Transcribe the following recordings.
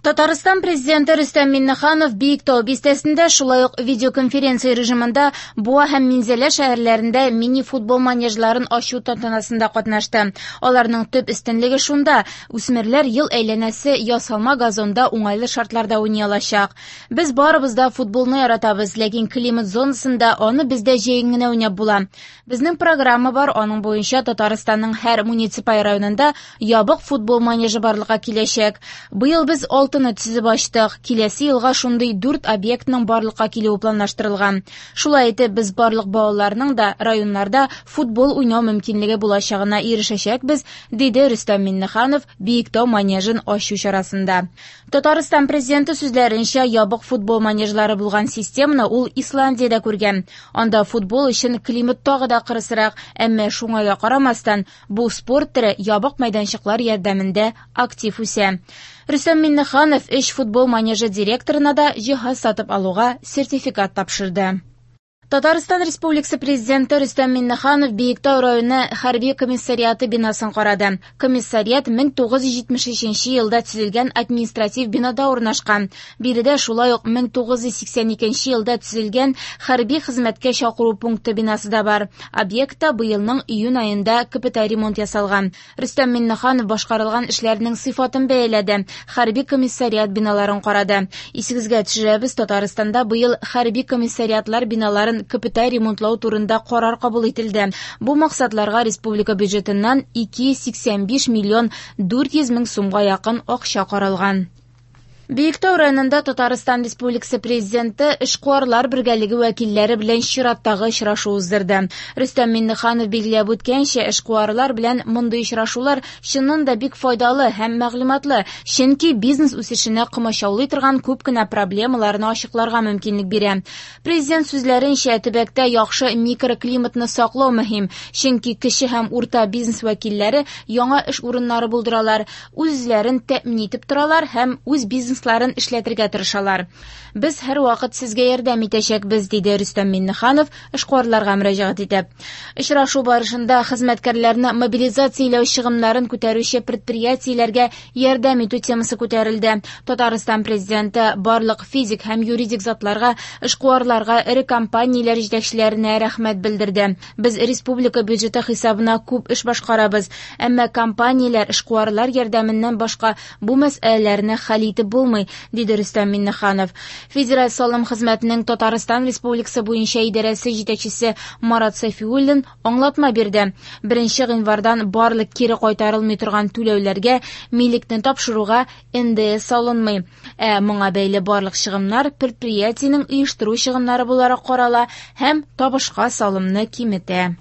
Татарстан Президенты Рөстәм Миңнеханов Биектау бистәсендә, шулай ук видеоконференция режимында Буа һәм Минзәлә шәһәрләрендә мини-футбол манежларын ачу тантанасында катнашты. Аларның төп өстенлеге шунда, үсмерләр ел әйләнәсе ясалма газонда уңайлы шартларда уйный алачак. Без барыбыз да футболны яратабыз, ләкин климат зонасында аны бездә җәен генә уйнап була. Безнең программа бар, аның буенча Татарстанның һәр муниципаль районында ябык футбол манежы барлыкка киләчәк. Быел без алтыны төзеп ачтык. Киләсе елга шундый дүрт объектның барлыкка килүе планлаштырылган. Шулай итеп, без барлык балаларның да районнарда футбол уйнау мөмкинлеге булачагына ирешәчәкбез, диде Рөстәм Миңнеханов Биектау манежын ачу чарасында. Татарстан Президенты сүзләренчә, ябык футбол манежлары булган системаны ул Исландиядә күргән. Анда футбол өчен климат тагы да кырысрак, әмма шуңа да карамастан, бу спорт төре ябык мәйданчыклар ярдәмендә актив үсә. Рөстәм Миңнеханов өч футбол манежы директорына да җиһаз сатып алуга сертификат тапшырды. Татарстан Республикасы Президенты Рөстәм Миңнеханов Биектау районы хәрби комиссариаты бинасын карады. Комиссариат 1973 елда төзелгән административ бинада урнашкан. Биредә шулай ук 1982 елда төзелгән хәрби хезмәткә чакыру пункты бинасы да бар. Объектта быелның июнь аенда капиталь ремонт ясалган. Рөстәм Миңнеханов башкарылган эшләрнең сыйфатын бәяләде, хәрби комиссариат биналарын карады. Исегезгә төшерәбез, Татарстанда быел хәрби комиссариатлар биналарын капиталь ремонтлау турында карар кабул ителде. Бу максатларга республика бюджетыннан 285 миллион 400 мең сумга якын акча каралган. Биектау районында Татарстан Республикасы Президенты эшкуарлар бергәлеге вәкилләре белән чираттагы очрашу уздырды. Рөстәм Миңнеханов билгеләп үткәнчә, эшкуарлар белән мондый очрашулар чыннан да бик файдалы һәм мәгълүматлы, чөнки бизнес үсешенә комачаулый торган күп кенә проблемаларны ачыкларга мөмкинлек бирә. Президент сүзләренчә, төбәктә яхшы микроклиматны саклау мөһим, чөнки кече һәм урта бизнес вәкилләре яңа эш урыннары булдыралар, үз-үзләрен тәэмин итеп торалар һәм үз бизнесларын эшләтергә тырышалар. Без һәрвакыт сезгә ярдәм итәчәкбез, диде Рөстәм Миңнеханов эшкуарларга мөрәҗәгать итеп. Очрашу барышында хезмәткәрләрне мобилизацияләү чыгымнарын күтәрүче предприятиеләргә ярдәм итү темасы күтәрелде. Татарстан Президенты барлык физик һәм юридик затларга, эшкуарларга, эре компанияләр җитәкчеләренә рәхмәт белдерде. Без республика бюджеты хисабына күп эш башкарабыз, әмма компанияләр, эшкуарлар ярдәменнән башка бу мәсьәләләрне хәл итеп булмый, диде Рөстәм Миңнеханов. Федераль салым хезмәтенең Татарстан Республикасы буенча идарәсе җитәкчесе Марат Сафиуллин аңлатма бирде. 1 гыйнвардан барлык кире кайтарылмый торган түләүләргә милекне тапшыруга НДС салынмый. Ә моңа бәйле барлык чыгымнар предприятиенең оештыру чыгымнары буларак карала һәм табышка салымны киметә.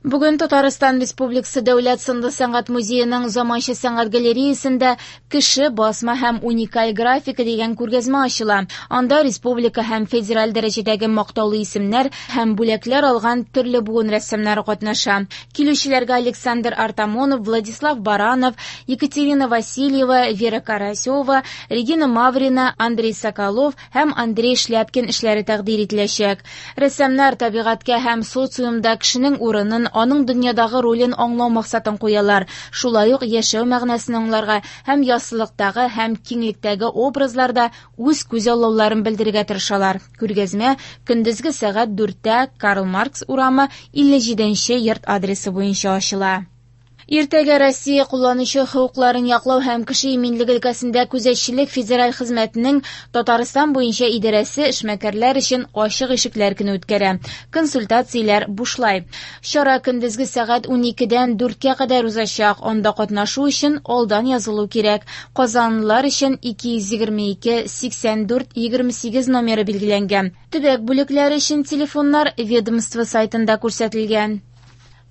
Бүген Татарстан Республикасы Дәүләт сынлы сәнгать музееның заманча сәнгать галереясендә Кеше, басма һәм уникаль графика дигән күргәзмә ачыла. Анда республика һәм федераль дәрәҗәдәге мактаулы исемнәр һәм бүләкләр алган төрле буын рәссамнары катнаша. Килүчеләргә Александр Артамонов, Владислав Баранов, Екатерина Васильева, Вера Карасева, Регина Маврина, Андрей Соколов һәм Андрей Шляпкин эшләре тәкъдир ителәчәк. Рәссамнар табигатькә һәм социумда кешенең урынын, аның дөньядагы ролен аңлау максатын куялар. Шулай ук яшәү мәгънәсен аңларга һәм яссылыктагы һәм киңлектәге образларда үз күзаллауларын белдерергә тырышалар. Күргәзмә көндезге сәгать 4-тә Карл Маркс урамы 57 нче йорт адресы буенча ачыла. Иртәгә Россия кулланучы хокукларын яклау һәм кеше иминлеге өлкәсендә күзәтчелек федераль хезмәтенең Татарстан буенча идарәсе эшмәкәрләр өчен ачык ишекләр көне үткәрә. Консультацияләр бушлай. Чара көндезге сәгать 12-дән 4-кә кадәр узачак. Анда катнашу өчен алдан язылу кирәк. Казанлылар өчен 222 84 28 номеры билгеләнгән. Төбәк бүлекләре өчен телефоннар ведомство сайтында күрсәтелгән.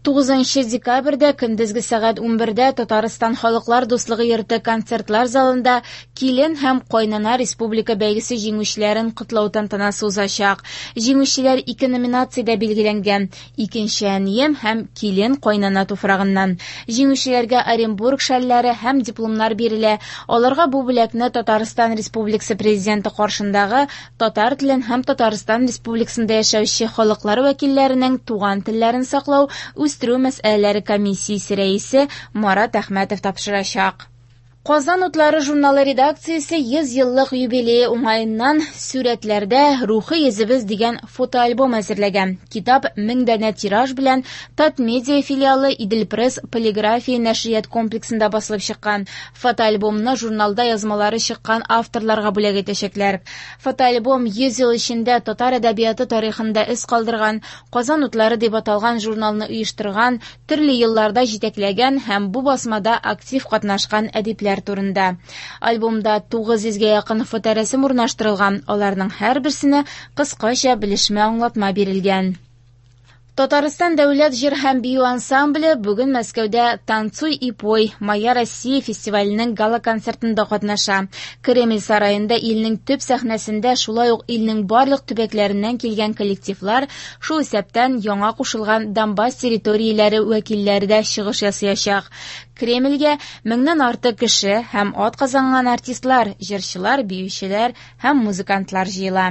9 декабрьдә көндезге сәгать 11-дә Татарстан Халыклар дуслыгы йорты концертлар залында Килен һәм кайнана республика бәйгесе җиңүчеләрен котлау тантанасы узачак. Җиңүчеләр ике номинациядә билгеләнгән: Икенче әнием һәм Килен кайнана туфрагыннан. Җиңүчеләргә Оренбург шәлләре һәм дипломнар бирелә. Аларга бу бүләкне Татарстан Республикасы Президенты каршындагы татар телен һәм Татарстан Республикасында яшәүче халыклар вәкилләренең туган телләрен саклау, үстерү мәсьәләләре комиссиясе рәисе Марат Әхмәтов тапшырачак. Казан утлары журналы редакциясе 100 еллык юбилее уңаеннан «Сурәтләрдә рухи йөзебез» дигән фотоальбом әзерләгән. Китап 1000 данә тираж белән Татмедиа филиалы Идел-Пресс полиграфия нәшрият комплексында басылып чыккан. Фотоальбомны журналда язмалары чыккан авторларга бүләк итәчәкләр. Фотоальбом 100 ел эчендә татар әдәбияты тарихында эз калдырган, «Казан утлары» дип аталган журналны оештырган, төрле елларда җитәкләгән һәм бу басмада актив катнашкан әдипләр турында. Альбомда 900гә якын фоторәсем урнаштырылган, аларның һәрберсенә кыскача белешмә аңлатма бирелгән. Татарстан дәүләт җыр һәм бию ансамбле бүген Мәскәүдә «Танцуй и пой. Моя Россия» фестиваленең гала-концертында катнаша. Кремль сараенда илнең төп сәхнәсендә шулай ук илнең барлык төбәкләреннән килгән коллективлар, шул исәптән яңа кушылган Донбасс территорияләре вәкилләре дә чыгыш ясаячак. Кремльгә меңнән артык кеше һәм атказанган артистлар, җырчылар, биючеләр һәм музыкантлар җыела.